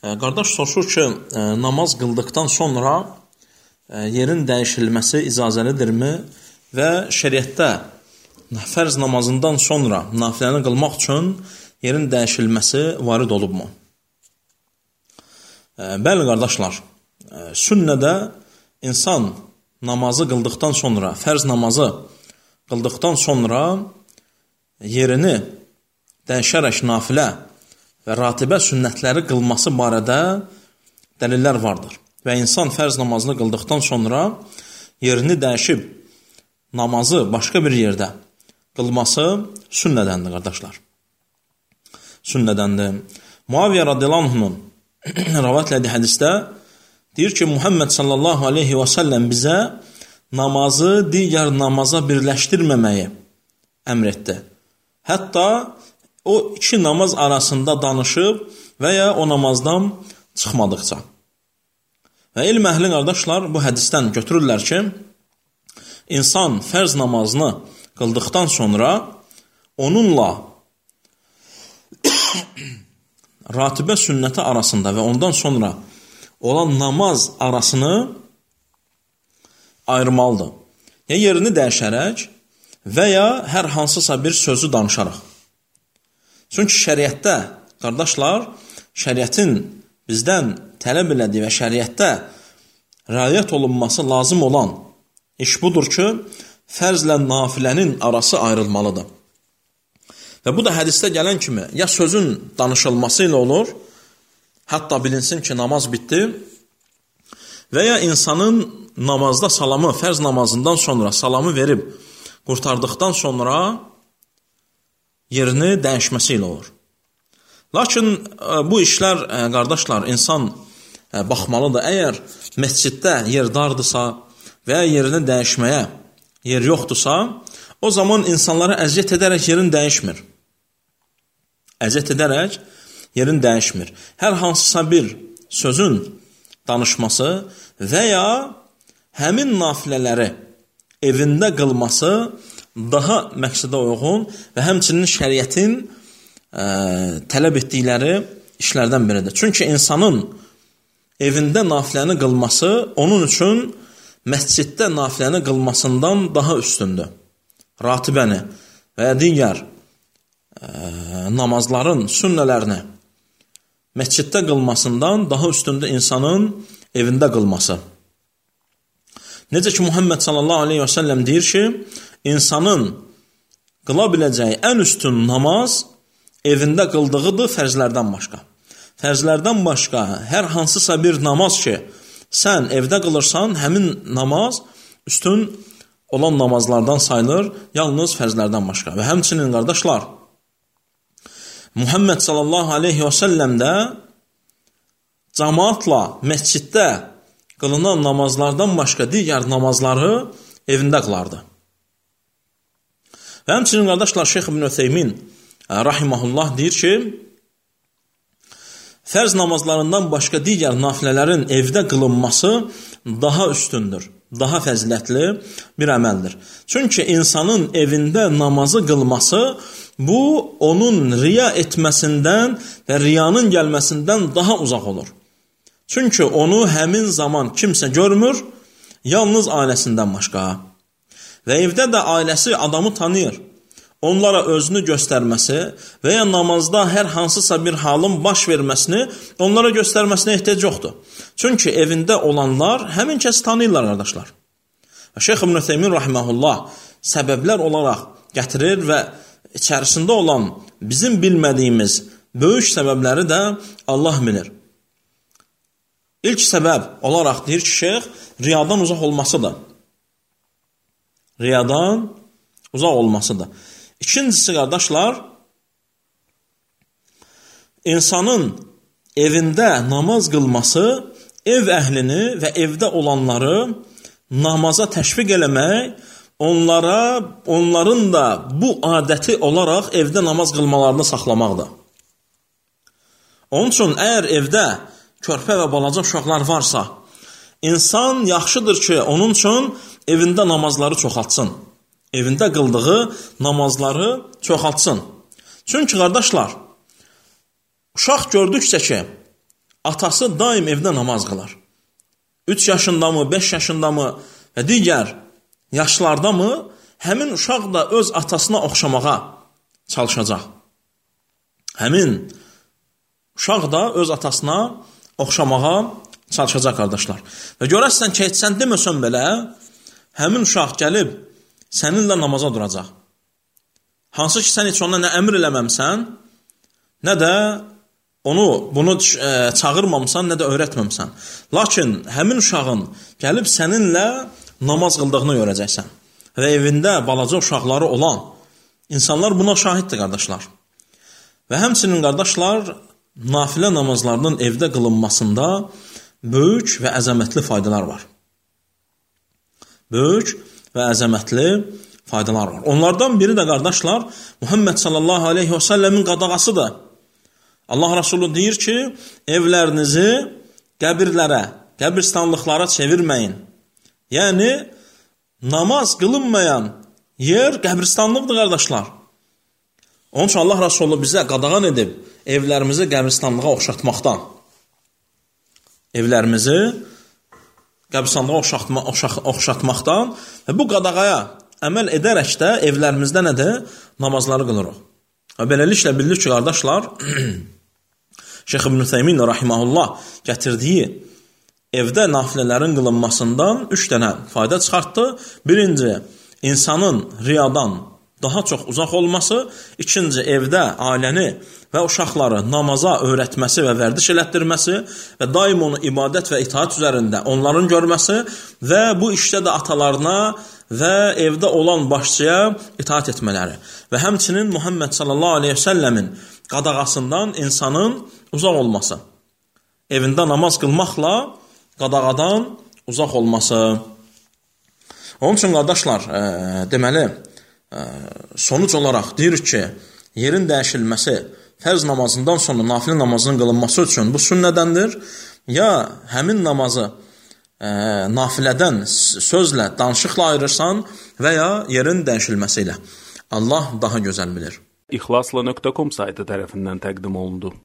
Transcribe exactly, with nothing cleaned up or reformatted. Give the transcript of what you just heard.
Qardaş soruşur ki, namaz qıldıqdan sonra yerin dəyişilməsi icazəlidirmi və şəriətdə fərz namazından sonra nafiləni qılmaq üçün yerin dəyişilməsi varid olubmu? Bəli, qardaşlar, sünnədə insan namazı qıldıqdan sonra, fərz namazı qıldıqdan sonra yerini dəyişərək nafilə və ratibə sünnətləri qılması barədə dəlillər vardır. Və insan fərz namazını qıldıqdan sonra yerini dəyişib namazı başqa bir yerdə qılması sünnədəndir, qardaşlar. Sünnədəndir. Muaviyyə radiyallahu anhunun rivayət etdiyi hədisdə deyir ki, Muhammed sallallahu aleyhi və səlləm bizə namazı digər namaza birləşdirməməyi əmr etdi. Hətta o iki namaz arasında danışıb və ya o namazdan çıxmadıqca. Və elm əhli qardaşlar bu hədisdən götürürlər ki, insan fərz namazını qıldıqdan sonra onunla ratibə sünnəti arasında və ondan sonra olan namaz arasını ayırmalıdır. Ya yerini dəyişərək və ya hər hansısa bir sözü danışaraq. Çünki şəriətdə, qardaşlar, şəriətin bizdən tələb elədiyi və şəriətdə rəayət olunması lazım olan iş budur ki, fərzlə nafilənin arası ayrılmalıdır. Və bu da hədisdə gələn kimi ya sözün danışılması ilə olur, hətta bilinsin ki, namaz bitdi və ya insanın namazda salamı, fərz namazından sonra salamı verib qurtardıqdan sonra yerini dəyişməsi ilə olur. Lakin bu işlər, qardaşlar, insan baxmalıdır. Əgər məsciddə yer dardırsa və ya yerini dəyişməyə yer yoxdursa, o zaman insanlara əziyyət edərək yerin dəyişmir. Əziyyət edərək yerin dəyişmir. Hər hansısa bir sözün danışması və ya həmin nafilələri evində qılması daha məqsədə uyğun və həmçinin şəriətin ə, tələb etdikləri işlərdən biridir. Çünki insanın evində nafiləni qılması onun üçün məsciddə nafiləni qılmasından daha üstündür. Ratibəni və ya digər ə, namazların sünnələrini məsciddə qılmasından daha üstündür insanın evində qılması. Necə ki, Muhammed sallallahu aleyhi və səlləm deyir ki, insanın qıla biləcəyi ən üstün namaz evində qıldığıdır fərzlərdən başqa. Fərzlərdən başqa hər hansısa bir namaz ki, sən evdə qılırsan, həmin namaz üstün olan namazlardan sayılır, yalnız fərzlərdən başqa. Və həmçinin, qardaşlar, Muhammed sallallahu aleyhi və səlləm də cəmaatla məsciddə qılınan namazlardan başqa digər namazları evində qılardı. Və həmçinin, qardaşlar, Şeyx İbn Ütheymin rahiməhullah deyir ki, fərz namazlarından başqa digər nafilələrin evdə qılınması daha üstündür, daha fəzilətli bir əməldir. Çünki insanın evində namazı qılması, bu onun riya etməsindən və riyanın gəlməsindən daha uzaq olur. Çünki onu həmin zaman kimsə görmür, yalnız ailəsindən başqa. Və evdə də ailəsi adamı tanıyır. Onlara özünü göstərməsi və ya namazda hər hansısa bir halın baş verməsini onlara göstərməsinə ehtiyac yoxdur. Çünki evində olanlar həmin kəsi tanıyırlar, qardaşlar. Şeyx İbn Ütheymin rahiməhullah səbəblər olaraq gətirir və içərisində olan bizim bilmədiyimiz böyük səbəbləri də Allah bilir. İlk səbəb olaraq deyir ki, şeyx, riyadan uzaq olmasıdır. Riyadan uzaq olmasıdır. İkincisi, qardaşlar, insanın evində namaz qılması ev əhlini və evdə olanları namaza təşviq eləmək, onlara, onların da bu adəti olaraq evdə namaz qılmalarını saxlamaqdır. Onun üçün, əgər evdə körpə və balaca uşaqlar varsa, insan yaxşıdır ki, onun üçün evində namazları çoxaltsın. Evində qıldığı namazları çoxaltsın. Çünki, qardaşlar, uşaq gördükcə ki, atası daim evdə namaz qılar. üç yaşında mı, beş yaşında mı və digər yaşlarda mı, həmin uşaq da öz atasına oxşamağa çalışacaq. Həmin uşaq da öz atasına oxşamağa çalışacaq, qardaşlar. Və görərsən ki, heç sən deməsən belə, həmin uşaq gəlib səninlə namaza duracaq. Hansı ki, sən heç ona nə əmr eləməmsən, nə də onu, bunu e, çağırmamsan, nə də öyrətməmsən. Lakin həmin uşağın gəlib səninlə namaz qıldığını görəcəksən. Və evində balaca uşaqları olan insanlar buna şahiddir, qardaşlar. Və həmçinin, qardaşlar, nafilə namazlarının evdə qılınmasında böyük və əzəmətli faydalar var. Böyük və əzəmətli faydalar var. Onlardan biri də, qardaşlar, Muhammed sallallahu aleyhi və səlləmin qadağasıdır. Allah Rasulü deyir ki, evlərinizi qəbirlərə, qəbirstanlıqlara çevirməyin. Yəni, namaz qılınmayan yer qəbirstanlıqdır, qardaşlar. Onun üçün Allah Rasulü bizə qadağan edib evlərimizi qəbirstanlığa oxşatmaqdan. Evlərimizi qəbirstanlığa oxşatma, oxşat, oxşatmaqdan və bu qadağaya əməl edərək də evlərimizdə nədir? Namazları qılırıq. Və beləliklə bilir ki, qardaşlar, Şeyx İbn Ütheymin rahimehullah gətirdiyi evdə nafilələrin qılınmasından üç dənə fayda çıxartdı. Birinci, insanın riyadan daha çox uzaq olması. İkinci, evdə ailəni və uşaqları namaza öyrətməsi və vərdiş elətdirməsi və daim onu ibadət və itaat üzərində onların görməsi və bu işdə də atalarına və evdə olan başçıya itaat etmələri və həmçinin Muhammed sallallahu aleyhi və səlləmin qadağasından insanın uzaq olması. Evində namaz qılmaqla qadağadan uzaq olması. Onun üçün, qardaşlar, e, deməli, e, sonuc olaraq deyirik ki, yerin dəyişilməsi fərz namazından sonra nafilə namazının qılınması üçün bu sünnədəndir. Ya həmin namazı e, nafilədən sözlə, danışıqla ayırırsan və ya yerin dəyişilməsi ilə. Allah daha gözəl bilir. İxlasla nöqtə com saytı tərəfindən təqdim olundu.